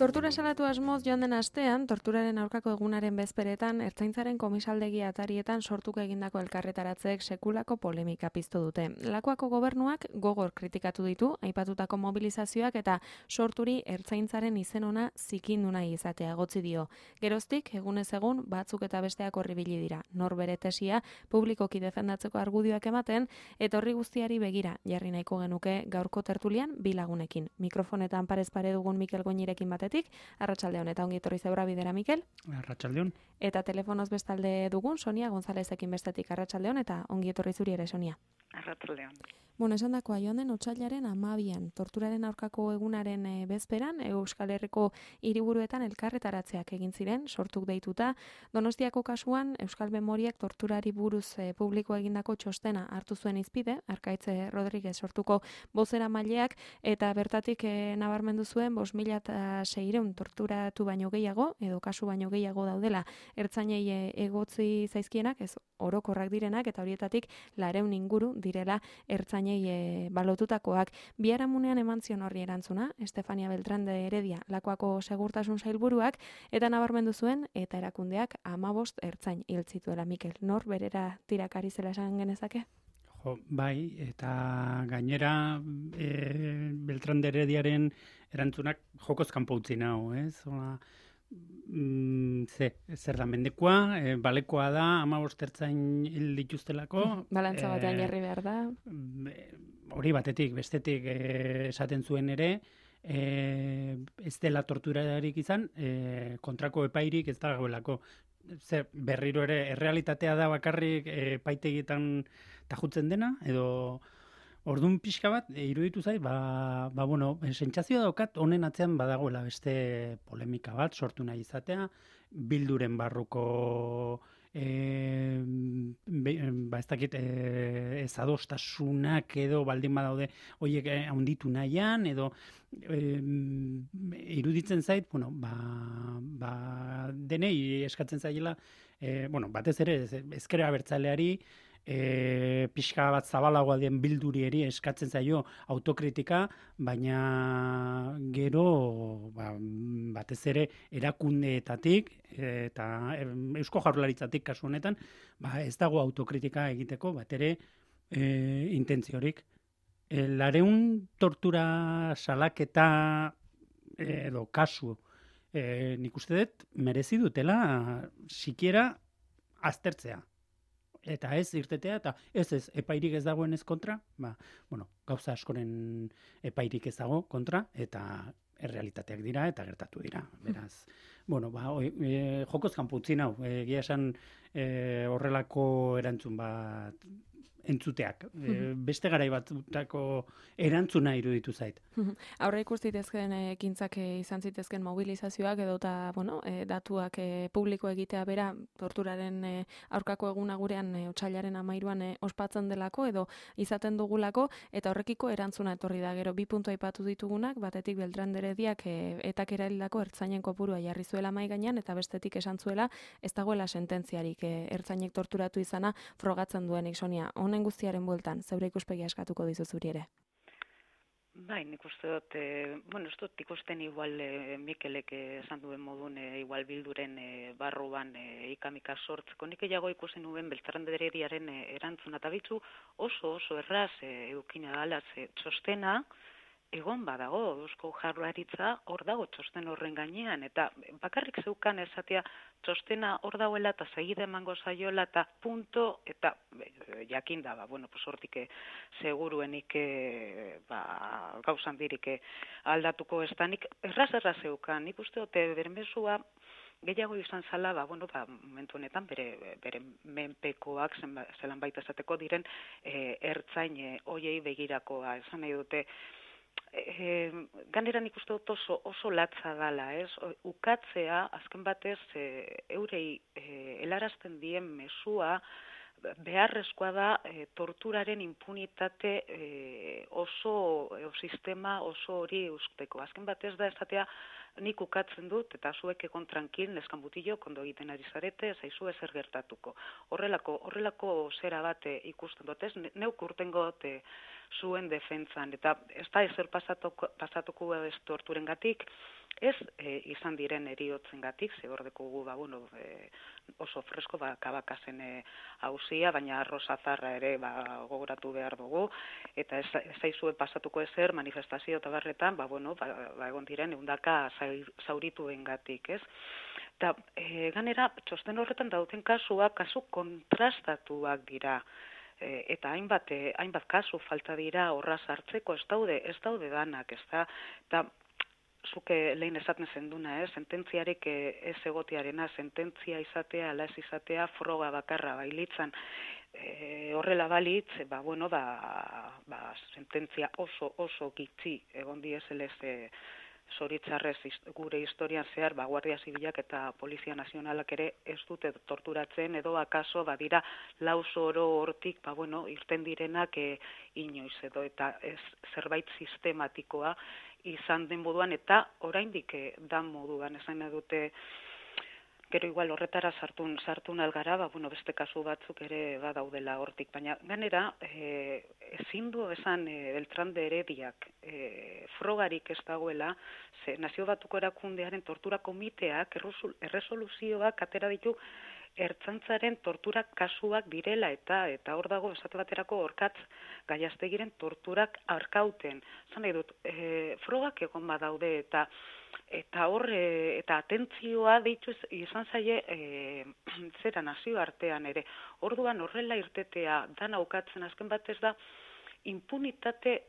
Tortura salatu asmoz joan den astean, torturaren aurkako egunaren bezperetan, Ertzaintzaren komisaldegi atarietan sortuko egindako elkarretaratzeek sekulako polemika piztu dute. Lakuako gobernuak gogor kritikatu ditu, aipatutako mobilizazioak eta sorturi Ertzaintzaren izen ona zikindu nahi izatea egotzi dio. Geroztik, egunez egun, batzuk eta besteak horribili dira. Nor bere tesia publikoki defendatzeko argudioak ematen, eta horri guztiari begira, jarri nahiko genuke gaurko tertulian bi lagunekin. Mikrofonetan parez pare dugun Mikel Goñirekin batetik, arratsaldeon eta ongi etorri zeura bidera, Mikel. Arratsaldeon. Eta telefonoz bestalde dugun Sonia Gonzalezekin bestetik, arratsaldeon eta ongi etorri zuri ere, Sonia. Arratsaldeon. Bueno, esan dakoa, joan den otsailaren 12an, torturaren aurkako egunaren bezperan, Euskal Herriko hiriburuetan elkarretaratzeak egin ziren, sortuk deituta. Donostiako kasuan, Euskal Memoriak torturari buruz publiko egindako txostena hartu zuen izpide, Arkaitz Rodriguez sortuko bozera maileak, eta bertatik nabarmendu zuen 5.600 torturatu baino gehiago, edo kasu baino gehiago daudela, ertzainei egotzi zaizkienak, ez orokorrak direnak, eta horietatik 200 inguru direla ertzainei balotutakoak. Biharamunean eman zion horri erantzuna, Estefania Beltrán de Heredia, Lakuako segurtasun sailburuak, eta nabarmendu zuen, eta erakundeak 15 ertzain hil zituela. Mikel, nor berera tirakari zela esan genezake? Jo, bai, eta gainera Beltrán de Herediaren erantzunak jokoz kanpo utzi nau, ez? Zer da mendekua, balekoa da, 15 ertzain hil dituztelako. Balantza batean jarri behar da. Hori batetik, bestetik esaten zuen ere, ez dela torturarik izan, kontrako epairik ez da gaulako. Berriro ere, errealitatea da bakarrik epaitegietan tajutzen dena, edo orduan pixka bat, iruditu zait, sentsazioa daukat honen atzean badagoela beste polemika bat sortu nahi izatea, bilduren barruko ez dakit ezadostasunak edo baldin badaude horiek handitu nahian, edo iruditzen zait, denei eskatzen zaiela, batez ere ezker abertzaleari, pixka bat zabalagoa den bildurieri eskatzen zaio autokritika, baina gero batez ere erakundeetatik eta Eusko Jaurlaritzatik kasu honetan, ez dago autokritika egiteko bat ere intentziorik. 200 tortura salaketa edo kasu nik uste dut merezi dutela sikiera aztertzea. Eta ez irtetea, eta ez epairik ez dagoen ez kontra, gauza askoren epairik ez dago kontra, eta errealitateak dira, eta gertatu dira. Beraz, jokoz kanpo utzi nau, egia esan horrelako erantzun bat entzuteak. Beste garai batutako erantzuna iruditu zait. Aurre ikustitezken ekintzak izan zitezken mobilizazioak edota, datuak publiko egitea bera torturaren aurkako eguna gurean otsailaren 13an ospatzen delako edo izaten dugulako, eta horrekiko erantzuna etorri da. Gero 2 puntu aipatu ditugunak, batetik Beltrán de Herediak etak erahildako ertzainen kopurua jarri zuela mahai gainean, eta bestetik esan zuela ez dagoela sententziarik ertzainek torturatu izana frogatzen duenik. Sonia, honen guztiaren bueltan, zeure ikuspegia eskatuko dizu zuri ere. Bai, nik uste dut, ez dut ikusten igual Mikelek esan duen modun, igual bilduren barruan ikamika sortzeko. Nik egiago ikusten nuen Beltrán de Herediaren erantzuna eta bitzu oso erraz edukina dala txostena, egon badago, Eusko Jaurlaritza hor dago txosten horren gainean, eta bakarrik zeukan esatea txostena hor dagoela eta segide emango zaiola eta punto, eta jakin da, hortik seguruenik gauzan dirik aldatuko ez da, nik erraz zeukan, nik uste dute bermezua gehiago izan zala, momentu honetan bere menpekoak zelan baita esateko diren ertzain hoiei begirakoa, esan nahi dute, ganeran ikuste dut oso latza dala, ukatzea, azken batez, eurei helarazten dien mesua, beharrezkoa da torturaren impunitate oso sistema oso hori usteko. Azken batez da esatea nik ukatzen dut, eta zuek egon tranquil, neskan butillo, kondo egiten ari zarete, zaizu ezer gertatuko. Horrelako zera bat ikusten dut, ez? Neuk urtengo zuen defentzan, eta ez da ezer pasatuko ez torturengatik, ez izan diren eriotzengatik, ze hor dekogu oso fresko Kabakasen auzia, baina Rosazarra ere gogoratu behar dugu, eta ez zaizue pasatuko ezer manifestazio eta barretan, egon diren 100 zaurituengatik, ez? Eta ganera, txosten horretan dauten kasuak, kasu kontrastatuak dira, eta hainbat kasu falta dira horra sartzeko, ez daude danak, ez da, eta zuke lehen esaten zenduna, sententziarek ez egotiarena, sententzia izatea, ala ez izatea, froga bakarra bailitzan, horrela balitz, sententzia oso gitzi egon dieselez zoritzarrez gure historian zehar, Guardia Zibilak eta Polizia Nazionalak ere ez dute torturatzen, edo akaso badira lauso oro hortik, irten direnak inoiz edo, eta ez zerbait sistematikoa izan den moduan, eta oraindik dan moduan, esan dute, gero igual horretara sartu algara, beste kasu batzuk ere badaudela hortik, baina ganera, ezin du esan Beltrán de Herediak frogarik ez dagoela, ze Nazio Batuko Erakundearen tortura komiteak erresoluzioak atera ditu ertzaintzaren tortura kasuak direla, eta hor dago esate baterako Orkatz Gallastegiren torturak arkauten. Zan nahi dut, frogak egon badaude, eta hor, eta atentzioa deitu izan zaie zera nazio artean ere. Orduan horrela irtetea dan aukatzen azken batez da, impunitate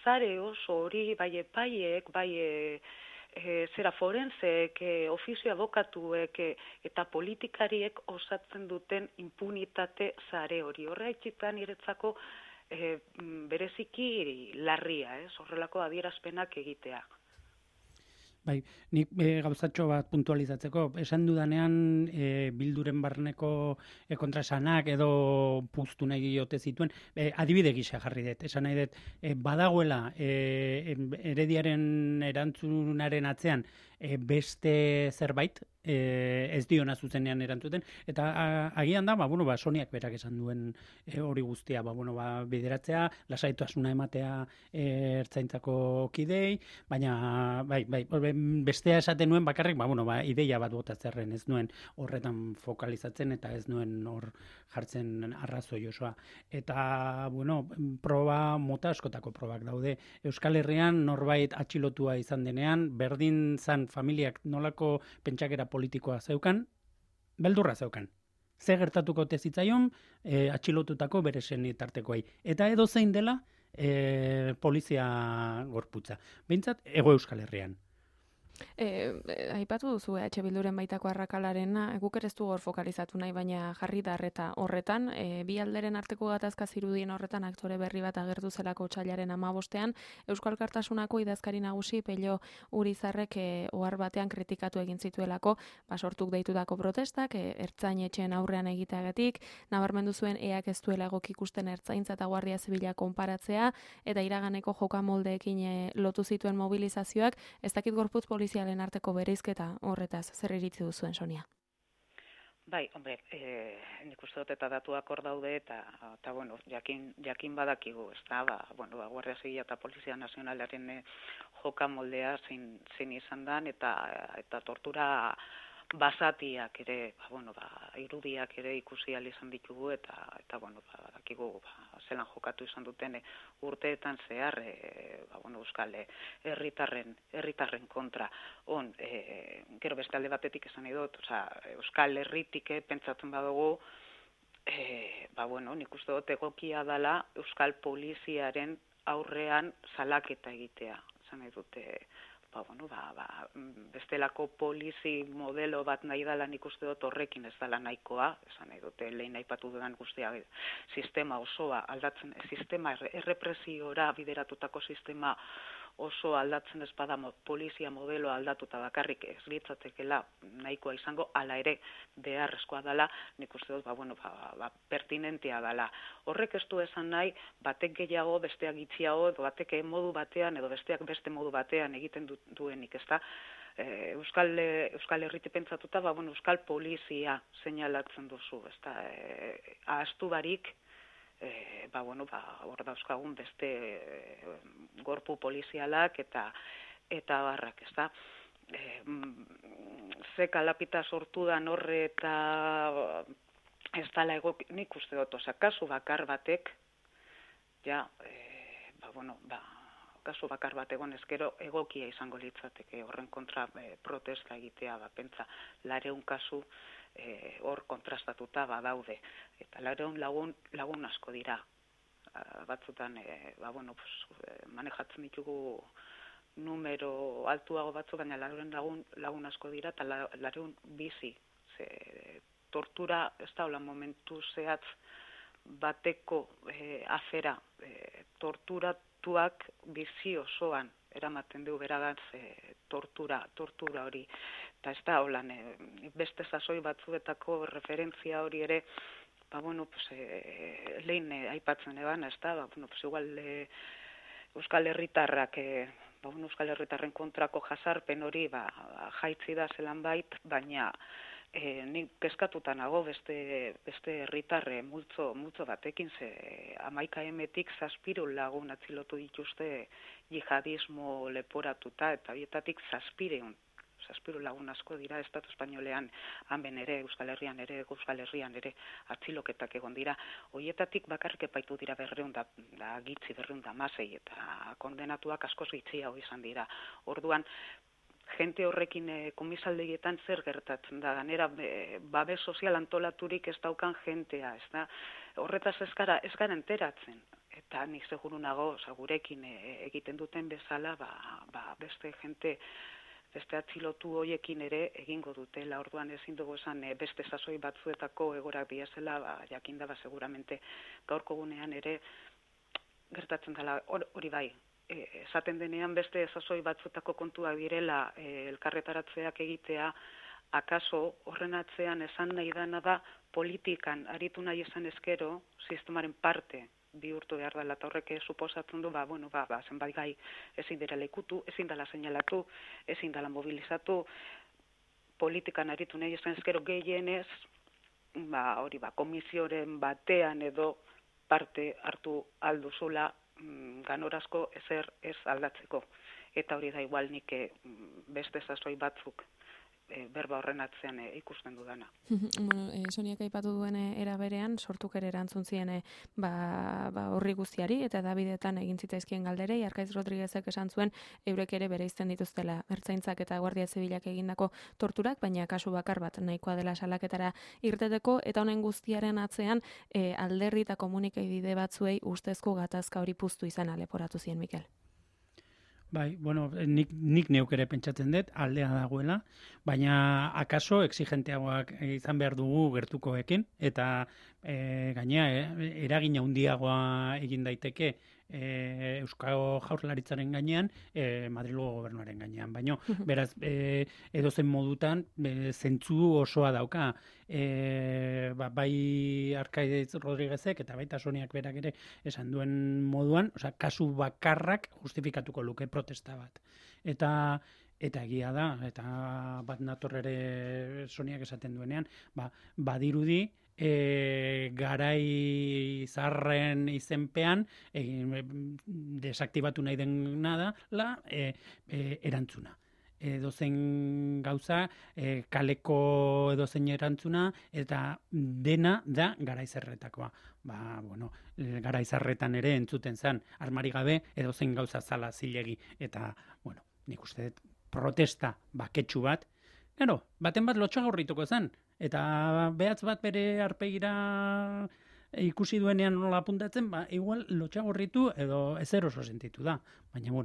zare oso hori, bai epaiek, bai zera forenseek, ofizio abokatuek eta politikariek osatzen duten impunitate zare hori. Horra etxitan niretzako bereziki larria, horrelako adierazpenak egitea. Bai, nik gauzatxo bat puntualizatzeko, esan dudanean Bilduren barneko kontraesanak edo puztu nahi diote zituen, adibide gisa jarri dut, esan nahi dut, badagoela Herediaren erantzunaren atzean beste zerbait, ez diona zuzenean erantzuten, eta agian da, Soniak berak esan duen hori guztia, bideratzea, lasaitasuna ematea ertzaintzako kidei, baina, bestea esaten nuen bakarrik, ideia bat botatzerren, ez nuen horretan fokalizatzen, eta ez nuen hor jartzen arrazoi osoa. Eta, proba, mota askotako probak daude. Euskal Herrian norbait atxilotua izan denean, berdin zan familiak nolako pentsakera politikoa zeukan, beldurra zeukan. Ze gertatuko zitzaion atxilotutako bere senitartekoei. Eta edo zein dela polizia gorputza. Behintzat, Hego Euskal Herrian. Aipatu duzu Bilduren baitako arrakalarena, guk ere ez du hor fokalizatu nahi, baina jarri da horretan, bi alderen arteko gatazka zirudien horretan aktore berri bat agertu zelako otsailaren 15ean, Euskal Alkartasunako idazkari nagusi Pello Urizarrek ohar batean kritikatu egin zituelako, sortuk deitutako protestak, ertzainetxeen aurrean egiteagatik, nabarmendu zuen eak ez duela egok ikusten ertzaintza eta Guardia Zibila konparatzea, eta iraganeko jokamoldeekin lotu zituen mobilizazioak, ez dakit gorputz polizialen arteko bereizketa horretaz, zer iritzi duzuen, Sonia? Bai, hombre, nik uste dut eta datuak hor daude, eta jakin badakigu, ez da, Guardia Zibila eta Polizia Nazionalaren jokamoldea zein izan dan, eta tortura basatiak ere, irudiak ere ikusi ahal izan ditugu, eta dakigu zelan jokatu izan duten urteetan zehar, Euskal herritarren kontra. Gero beste alde batetik esan dut, Euskal Herritik pentsatzen badugu, nik uste dut egokia dela Euskal Poliziaren aurrean salaketa egitea. Esan nahi dute, bestelako polizi modelo bat nahi dela, nik uste dut horrekin ez dela nahikoa, esan nahi dute lehen aipatu dudan guztia sistema osoa aldatzen, sistema errepresiora bideratutako sistema oso aldatzen ez bada polizia modelo aldatuta bakarrik ez litzatekela nahikoa izango, hala ere beharrezkoa dela, nik uste dut, pertinentea dela. Horrek ez du esan nahi, batek gehiago, besteak gutxiago, edo batek modu batean, edo besteak beste modu batean egiten duenik, ezta? Euskal Herriti pentsatuta, Euskal Polizia seinalatzen duzu, ezta? Ahaztu barik, hor dauzkagun beste gorpu polizialak eta barrak, ezta? Ze kalapita sortu da horre eta ez dala egok, nik uste dut, kasu bakar batek, kasu bakar bat egon ezkero egokia izango litzateke horren kontra protesta egitea, pentsa 200 kasu hor kontrastatuta badaude. Eta 200 lagun asko dira. Batzutan, manejatzen ditugu numero altuago batzu, baina 200 lagun asko dira, eta 200 bizi. Tortura, ez da hola momentu zehatz bateko afera, torturatuak bizi osoan eramaten du beragaz tortura hori. Eta ez da holan, beste sasoi batzuetako referentzia hori ere, lehen aipatzen eban, ez da, igual Euskal Herritarrak, Euskal Herritarren kontrako jasarpen hori jaitzi da zelan bait, baina nik kezkatuta nago beste herritarre multzo batekin, 11 7 lagun atzilotu dituzte jihadismo leporatuta, eta horietatik 7 lagun asko dira Estatu Espainolean, hemen ere, Euskal Herrian ere atziloketak egon dira. Horietatik bakarrik epaitu dira 216 eta kondenatuak askoz gitxiago izan dira. Orduan, jente horrekin komisaldegietan zer gertatzen da, ganera babes sozial antolaturik ez daukan jentea, ez da? Horretaz ez gara enteratzen. Eta nik seguru nago, gurekin egiten duten bezala, beste jente, beste atzilotu hoiekin ere egingo dutela. Orduan ezin dugu esan beste sasoi batzuetako egorak biazela, jakinda seguramente gaurko gunean ere gertatzen dela hori bai. Esaten denean beste sasoi batzuetako kontuak direla elkarretaratzeak egitea, akaso horren atzean esan nahi dana da politikan aritu nahi esan ezkero sistemaren parte bihurtu behar dela, eta horrek suposatzen du, zenbait gai ezin dira ikutu, ezin dela seinalatu, ezin dela mobilizatu, politikan aritu nahi esan ezkero gehienez, komisioren batean edo parte hartu alduzula ganorazko ezer ez aldatzeko. Eta hori da igual nik beste sasoi batzuk berba horren atzean ikusten dudana. Soniak aipatu duen era berean, sortuk ere erantzun zien horri guztiari, eta Davidetan egin zitzaizkien galderei, Arkaiz Rodriguezek esan zuen, eurek ere bereizten dituztela ertzaintzak eta Guardia Zibilak egindako torturak, baina kasu bakar bat nahikoa dela salaketara irteteko, eta honen guztiaren atzean alderri eta komunikabide batzuei ustezko gatazka hori puztu izana leporatu zien, Mikel. Bai, nik neuk ere pentsatzen dut, aldea dagoela, baina akaso exigenteagoak izan behar dugu gertukoekin, eta gainea, eragina handiagoa egin daiteke Euskal Jaurlaritzaren gainean, Madrilgo gobernuaren gainean. Baina, beraz, edozen modutan, zentzu osoa dauka, bai Arkaiz Rodriguezek eta baita Soniak berak ere esan duen moduan, kasu bakarrak justifikatuko luke protesta bat. Eta egia da, eta bat nator ere Soniak esaten duenean, badirudi, garai zarren izenpean desaktibatu nahi dena da erantzuna. Edozein gauza, kaleko edozein erantzuna, eta dena da garaizerretakoa. Garaizerretan ere entzuten zen, armari gabe edozein gauza zala zilegi. Eta, nik uste protesta baketsu bat, baten bat lotxagorrituko zen, eta behatz bat bere arpegira ikusi duenean nola apuntatzen, igual lotxagorritu edo ezer oso sentitu da. Baina,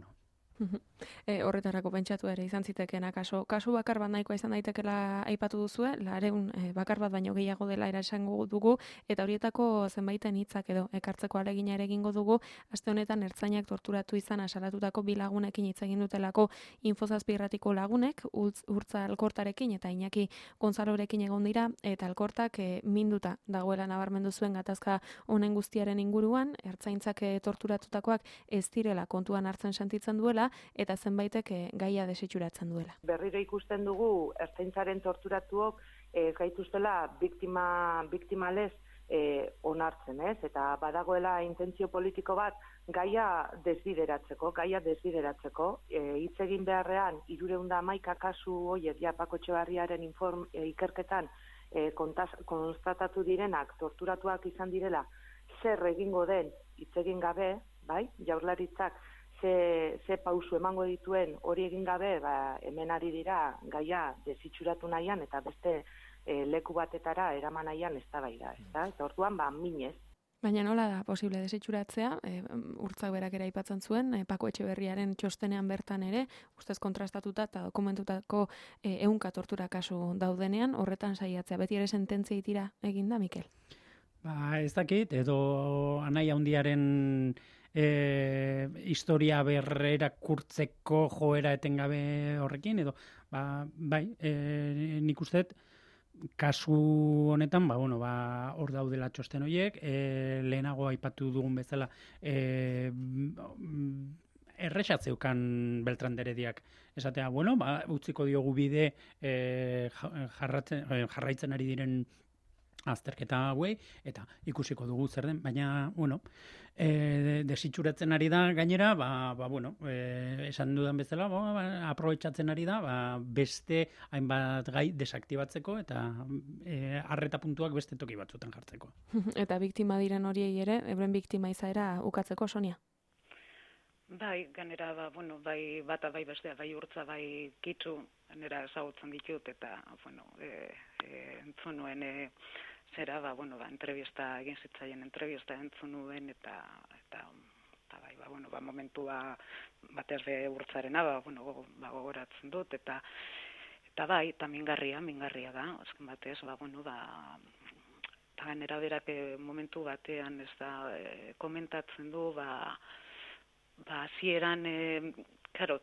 Horretarako pentsatu ere izan zitekeena kasu bakar bat nahikoa izan daitekela aipatu duzue, 200 bakar bat baino gehiago dela esango dugu, eta horietako zenbaiten hitzak edo ekartzeko ahalegina ere egingo dugu. Aste honetan ertzainak torturatu izan asalatutako 2 lagunekin hitz egin dutelako Info7 irratiko lagunek, Urtza Alkortarekin eta Iñaki Gonzalorekin egon dira, eta Alkortak minduta dagoela nabarmendu zuen gatazka honen guztiaren inguruan, ertzaintzak torturatutakoak ez direla kontuan hartzen sentitzen duela, eta zenbaitek gaia desitxuratzen duela. Berriro ikusten dugu ertzaintzaren torturatuok ez gaituztela biktimalez onartzen, ez? Eta badagoela intentzio politiko bat gaia desbideratzeko, hitz egin beharrean 311 kasu horiek ja Pako Etxebarriaren ikerketan konstatatu direnak torturatuak izan direla, zer egingo den hitz egin gabe, bai? Jaurlaritzak ze pausu emango dituen hori egin gabe, hemen ari dira gaia desitxuratu nahian eta beste leku batetara eraman nahian eztabaida, ezta? Eta orduan minez. Baina nola da posible desitxuratzea? Urtzak berak ere aipatzen zuen, Pako Etxeberriaren txostenean bertan ere, ustez kontrastatuta eta dokumentutako 100 tortura kasu daudenean, horretan saiatzea. Beti ere sententzia itira eginda, Mikel? Ez dakit, edo anai handiaren historia berrerakurtzeko joera etengabe horrekin, edo bai, nik usteet kasu honetan, hor daudela txosten horiek, lehenago aipatu dugun bezala, erresatzeukan Beltran de Herediak esatea, utziko diogu bide jarraitzen ari diren azterketa hauei, eta ikusiko dugu zer den, baina, desitxuratzen ari da gainera, esan dudan bezala, aprobetxatzen ari da, beste hainbat gai desaktibatzeko, eta arreta puntuak beste toki batzutan jartzeko. Eta biktima diren horiei ere, euren biktima izaera ukatzeko, Sonia? Bai, ganera, bai bata, bai bestea, bai Urtza, bai Kitzu, ganera ezagutzen ditut, eta, entzun nuen, zera, entrevista egin zitzaien, entrevista entzun nuen, eta bai, momentua batez be Urtzarena, gogoratzen dut, eta bai, eta mingarria da, azken batez, ganera berak momentu batean, ez da, komentatzen du, hasieran,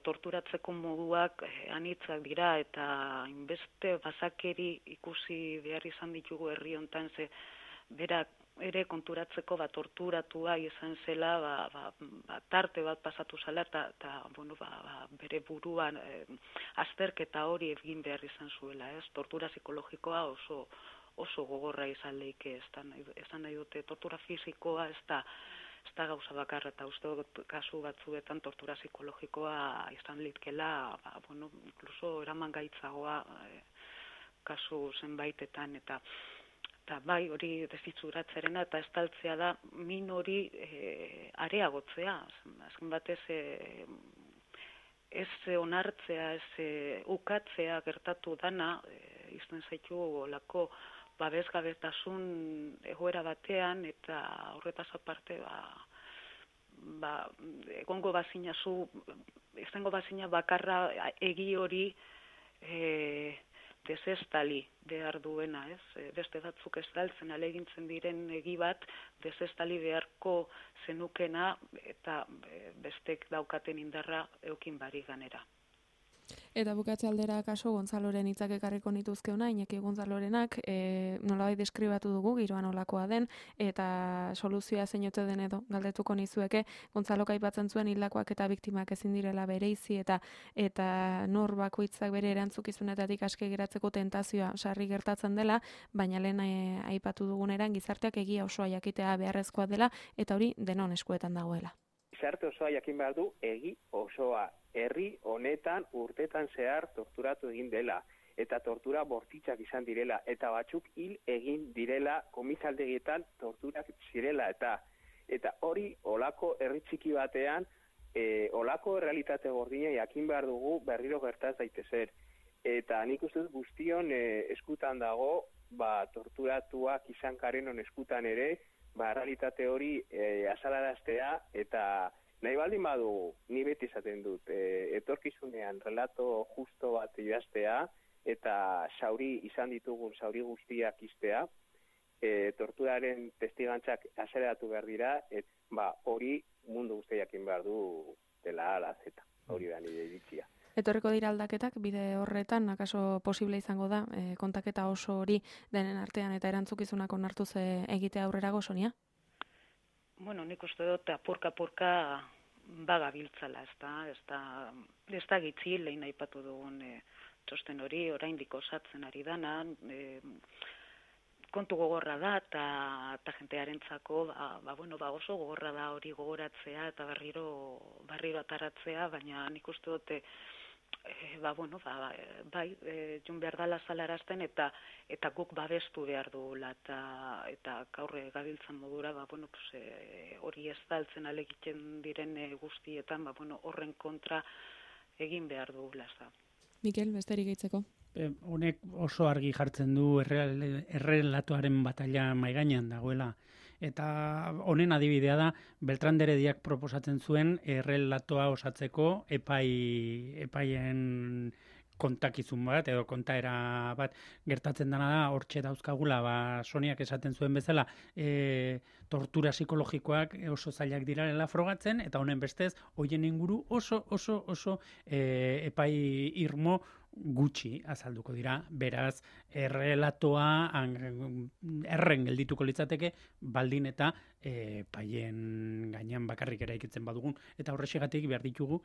torturatzeko moduak anitzak dira eta inbeste bazakeri ikusi behar izan ditugu herri hontan, ze berak ere konturatzeko torturatua izan zela, tarte bat pasatu zela eta bere buruan azterketa hori egin behar izan zuela, ez? Tortura psikologikoa oso gogorra izan leike, esan nahi dute, tortura fisikoa ez da gauza bakarra, eta uste kasu batzuetan tortura psikologikoa izan litkela, incluso eraman gaitzagoa kasu zenbaitetan, eta bai hori desitxuratzerena eta estaltzea da min hori areagotzea, azken batez ez onartzea, ez ukatzea gertatu dana, izan zaitu olako babesgabetasun egoera batean, eta horretaz aparte egongo bazina izango bazina bakarra egi hori desestali behar duena, ez? Beste batzuk estaltzen alegintzen diren egi bat desestali beharko zenukena, eta bestek daukaten indarra eukin bari ganera. Eta bukatze aldera kaso Gonzaloren hitzak ekarriko nituzke ona, Iñaki Gonzalorenak nolabait deskribatu dugu giroan olakoa den, eta soluzioa zein ote den edo galdetuko nizueke. Gonzalok aipatzen zuen hildakoak eta biktimak ezin direla bereizi, eta nor bakoitzak bere erantzukizunetatik aske geratzeko tentazioa sarri gertatzen dela, baina lehen aipatu duguneran gizarteak egia osoa jakitea beharrezkoa dela, eta hori denon eskuetan dagoela. Gizarte osoa jakin behar du egi osoa. Herri honetan urtetan zehar torturatu egin dela, eta tortura bortitzak izan direla, eta batzuk hil egin direla, komisaldegietan torturak zirela, eta hori olako herri txiki batean, olako realitate gordina jakin behar dugu berriro gertaz daitezen. Eta nik uste dut guztion eskutan dago, torturatuak izan karenon eskutan ere, realitate hori azalaraztea, eta nahi baldin badu, ni beti esaten dut, etorkizunean relato justo bat idaztea, eta izan ditugun sauri guztiak iztea, torturaren testigantzak azeleratu behar dira, hori mundu guztiakin behar du dela ala zeta, hori da nire iritzia. Etorriko dira aldaketak, bide horretan, akaso posible izango da, kontaketa oso hori denen artean eta erantzukizunak onartuz egitea aurrerago, Sonia? Bueno, nik uste dut apurka bagabiltzala, ez da gitzi, lehin aipatu dugun txosten hori, oraindik osatzen ari dana, kontu gogorra da, eta jentearentzako, oso gogorra da hori gogoratzea, eta berriro ataratzea, baina nik uste dute, jun behar dala zalarazten, eta guk babestu behar dugula, eta gaurre gabiltzan modura, hori ez daltzen alegiten diren guztietan, horren kontra egin behar dugula. Mikel, besterik gehitzeko? Honek oso argi jartzen du errelatoaren batalla maigainan dagoela. Eta honen adibidea da, Beltrán de Herediak proposatzen zuen errelatoa osatzeko epaien kontakizun bat, edo kontaera bat gertatzen dena da, hortxe dauzkagula, Soniak esaten zuen bezala, tortura psikologikoak oso zailak dirarela frogatzen, eta honen bestez, hoien inguru oso epai irmo gutxi azalduko dira, beraz, errelatoa erren geldituko litzateke, baldin eta paien gainean bakarrik eraikitzen badugun, eta horrexegatik behar ditugu,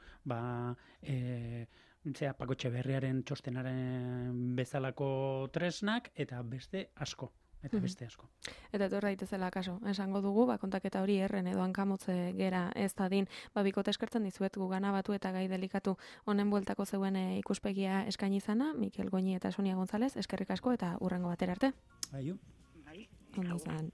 Paco Etxeberriaren txostenaren bezalako tresnak, eta beste asko. Eta etor daitezela kaso, esango dugu, kontaketa hori erren edo hankamotze gera ez dadin, bikote eskertzen dizuet gugana batu eta gai delikatu honen bueltako zeuen ikuspegia eskaini izana, Mikel Goñi eta Sonia González, eskerrik asko eta hurrengo batera arte. Aio. Ondo izan.